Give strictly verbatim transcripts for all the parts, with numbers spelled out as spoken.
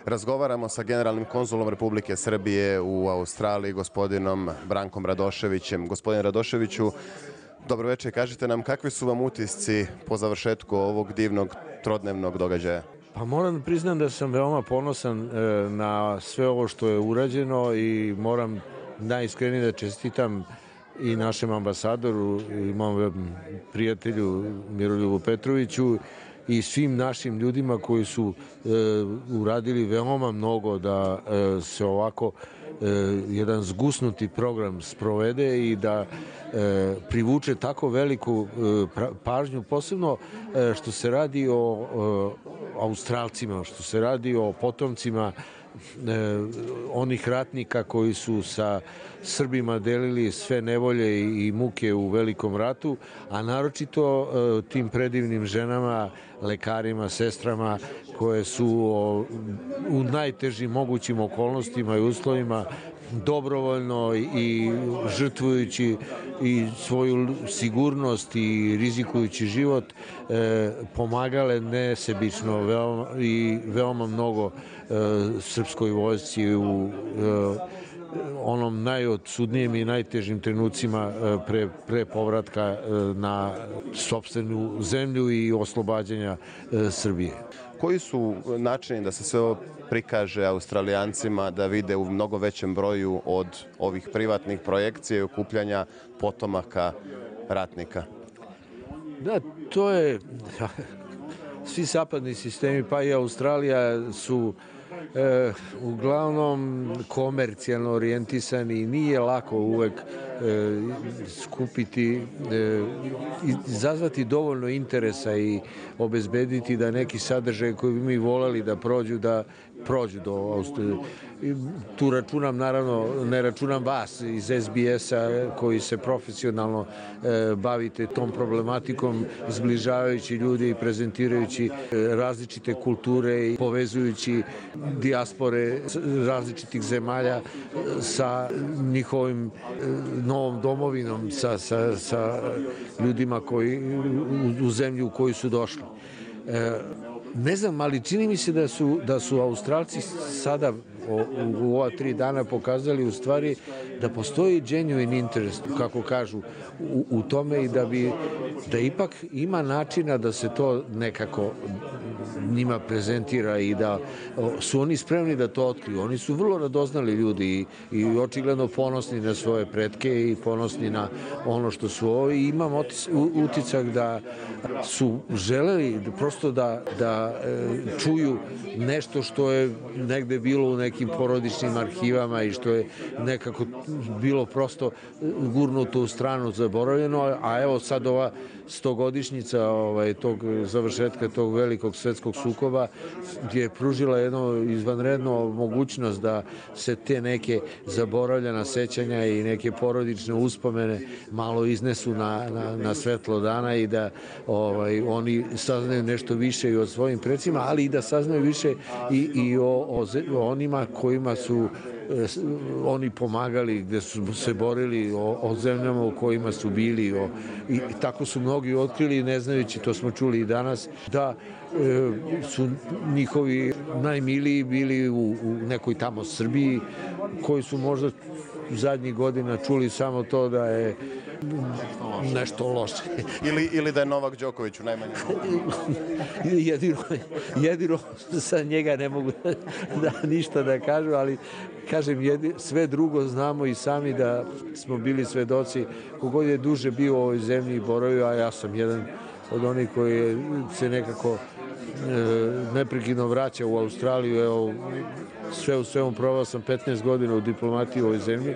Razgovaramo sa generalnim konzulom Republike Srbije u Australiji, gospodinom Brankom Radoševićem. Gospodine Radoševiću, dobro večer, kažite nam kakvi su vam utisci po završetku ovog divnog trodnevnog događaja? Pa moram da priznam da sam veoma ponosan na sve ovo što je urađeno i moram najiskrenije da čestitam i našem ambasadoru i mom prijatelju Miroljubu Petroviću i svim našim ljudima koji su e, uradili veoma mnogo da e, se ovako e, jedan zgusnuti program sprovede i da e, privuče tako veliku e, pažnju, posebno e, što se radi o, o Australcima, što se radi o potomcima E, onih ratnika koji su sa Srbima delili sve nevolje i, i muke u Velikom ratu, a naročito e, tim predivnim ženama, lekarima, sestrama koje su o, u najtežim mogućim okolnostima i uslovima dobrovoljno i žrtvujući i svoju sigurnost i rizikujući život e, pomagale nesebično veoma, i veoma mnogo e, srpskoj vojsci u e, onom najodsudnijem i najtežim trenucima e, pre, pre povratka e, na sopstvenu zemlju i oslobađanja e, Srbije. Koji su načini da se sve ovo prikaže Australijancima da vide u mnogo većem broju od ovih privatnih projekcija i okupljanja potomaka ratnika? Da, to je... Svi zapadni sistemi, pa i Australija, su e, uglavnom komercijalno orijentisani i nije lako uvek e, skupiti, e, izazvati dovoljno interesa i obezbediti da neki sadržaj koji bi mi volali da prođu, da prođu do Australije. Tu računam, naravno, ne računam vas iz es bi es-a koji se profesionalno e, bavite tom problematikom, zbližavajući ljudi i prezentirajući različite kulture i povezujući dijaspore različitih zemalja sa njihovim novom domovinom, sa, sa, sa ljudima koji, u, u zemlju u koju su došli. E, ne znam, ali čini mi se da su, da su Australci sada U, u ova tri dana pokazali u stvari da postoji genuine interest, kako kažu, u, u tome i da bi, da ipak ima načina da se to nekako njima prezentira i da su oni spremni da to otkriju. Oni su vrlo radoznali ljudi i, i očigledno ponosni na svoje pretke i ponosni na ono što su ovo i imam otis, u, utisak da su želeli prosto da, da e, čuju nešto što je negde bilo u nekim porodičnim arhivama i što je nekako bilo prosto gurnuto u stranu, zaboravljeno, a evo sad ova stogodišnjica ovaj, tog završetka tog velikog svetskog sukoba je pružila jedno izvanredno mogućnost da se te neke zaboravljena sećanja i neke porodične uspomene malo iznesu na, na, na svetlo dana i da ovaj, oni saznaju nešto više i o svojim precima, ali i da saznaju više i, i o, o, o onima kojima su oni pomagali, gde su se borili, o, o zemljama u kojima su bili o, i, i tako su mnogi otkrili, ne znajući, to smo čuli i danas, da e, su njihovi najmiliji bili u, u nekoj tamo Srbiji, koji su možda zadnjih godina čuli samo to da je nešto loše. Ili, ili da je Novak Đoković u najmanjem. jedino, jedino sa njega ne mogu da, da ništa da kažu, ali kažem, jedi, sve drugo znamo i sami da smo bili svedoci. Kogod je duže bio u ovoj zemlji i boravio, a ja sam jedan od onih koji je, se nekako e, neprekidno vraća u Australiju. Evo, sve u svemu provao sam petnaest godina u diplomatiji u ovoj zemlji.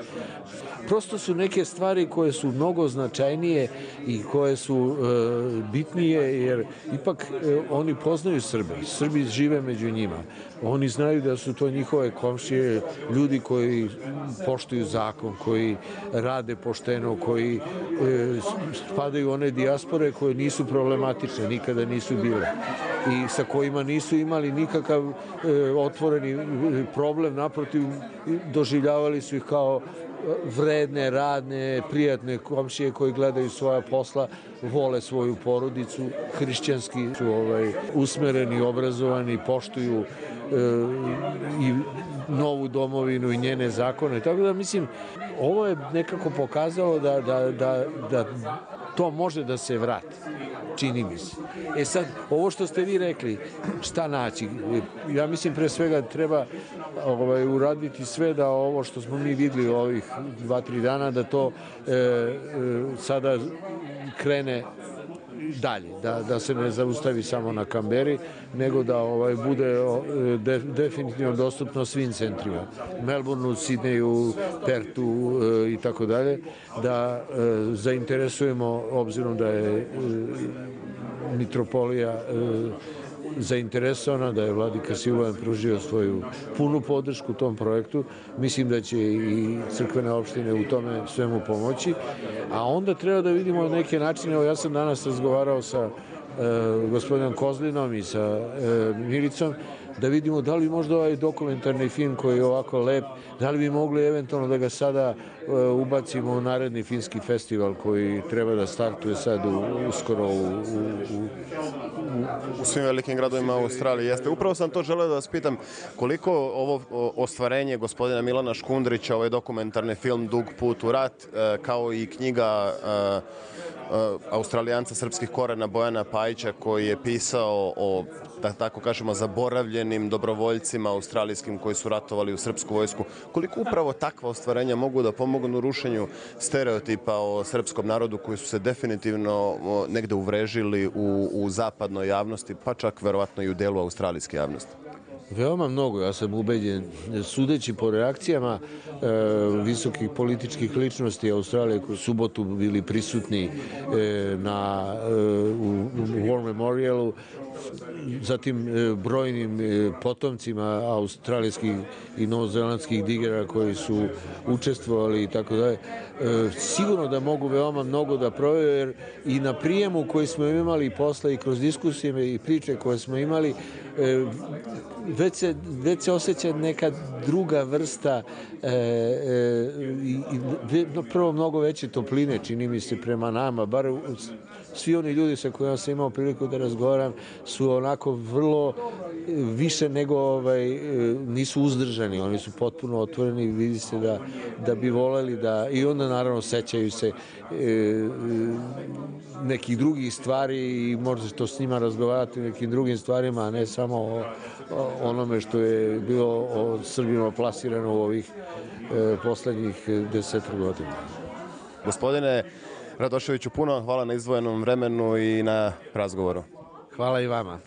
Prosto su neke stvari koje su mnogo značajnije i koje su e, bitnije, jer ipak e, oni poznaju Srbe. Srbi žive među njima. Oni znaju da su to njihove komšije, ljudi koji poštuju zakon, koji rade pošteno, koji e, spadaju u one dijaspore koje nisu problematične, nikada nisu bile. I i sa kojima nisu imali nikakav e, otvoreni problem, naprotiv doživljavali su ih kao vredne, radne, prijatne komšije koji gledaju svoja posla, vole svoju porodicu, hrišćanski su ovaj, usmereni, obrazovani, poštuju e, i novu domovinu i njene zakone. Tako da mislim, ovo je nekako pokazalo da, da, da, da to može da se vrati, čini mi se. E sad, ovo što ste vi rekli, šta naći? Ja mislim pre svega treba ovaj, uraditi sve da ovo što smo mi videli ovih dva, tri dana, da to e, e, sada krene dalje, da, da se ne zaustavi samo na Kamberi, nego da ovaj bude de, definitivno dostupno svim centrima. Melbourneu, Sidneju, Pertu e, i tako dalje, da e, zainteresujemo, obzirom da je e, mitropolija e, zainteresovana, da je vladika Siluan pružio svoju punu podršku tom projektu. Mislim da će i crkvene opštine u tome svemu pomoći. A onda treba da vidimo neke načine. Evo, ja sam danas razgovarao sa e, gospodinom Kozlinom i sa e, Milicom, da vidimo da li možda ovaj dokumentarni film koji je ovako lep, da li bi mogli eventualno da ga sada e, ubacimo u naredni filmski festival koji treba da startuje sad u, uskoro u, u, u, u svim velikim gradovima Australije. Jeste. Upravo sam to želeo da vas pitam koliko ovo ostvarenje gospodina Milana Škundrića, ovaj dokumentarni film Dug put u rat, e, kao i knjiga e, Australijanca srpskih korena Bojana Pajića koji je pisao o, da tako kažemo, zaboravljenim dobrovoljcima australijskim koji su ratovali u srpsku vojsku. Koliko upravo takva ostvarenja mogu da pomognu rušenju stereotipa o srpskom narodu koji su se definitivno negde uvrežili u, u zapadnoj javnosti, pa čak verovatno i u delu australijske javnosti? Veoma mnogo, ja sam ubeđen, sudeći po reakcijama e, visokih političkih ličnosti Australije koji su subotu bili prisutni e, na, e, u, u War Memorialu, zatim e, brojnim e, potomcima australijskih i novozelandskih digera koji su učestvovali i tako dalje. E, sigurno da mogu veoma mnogo da provjeru, jer i na prijemu koji smo imali posle i kroz diskusije i priče koje smo imali, e, već se, već se osjeća neka druga vrsta e, e, i, i prvo mnogo veće topline, čini mi se, prema nama, bar svi oni ljudi sa kojima sam imao priliku da razgovaram su onako vrlo više nego ovaj, nisu uzdržani, oni su potpuno otvoreni i vidi se da, da bi voleli da, i onda naravno sećaju se e, nekih drugih stvari i možda to s njima razgovarati o nekim drugim stvarima, a ne samo o, o onome što je bilo o Srbima plasirano u ovih e, poslednjih deset godina. Gospodine Radoševiću, puno hvala na izdvojenom vremenu i na razgovoru. Hvala i vama.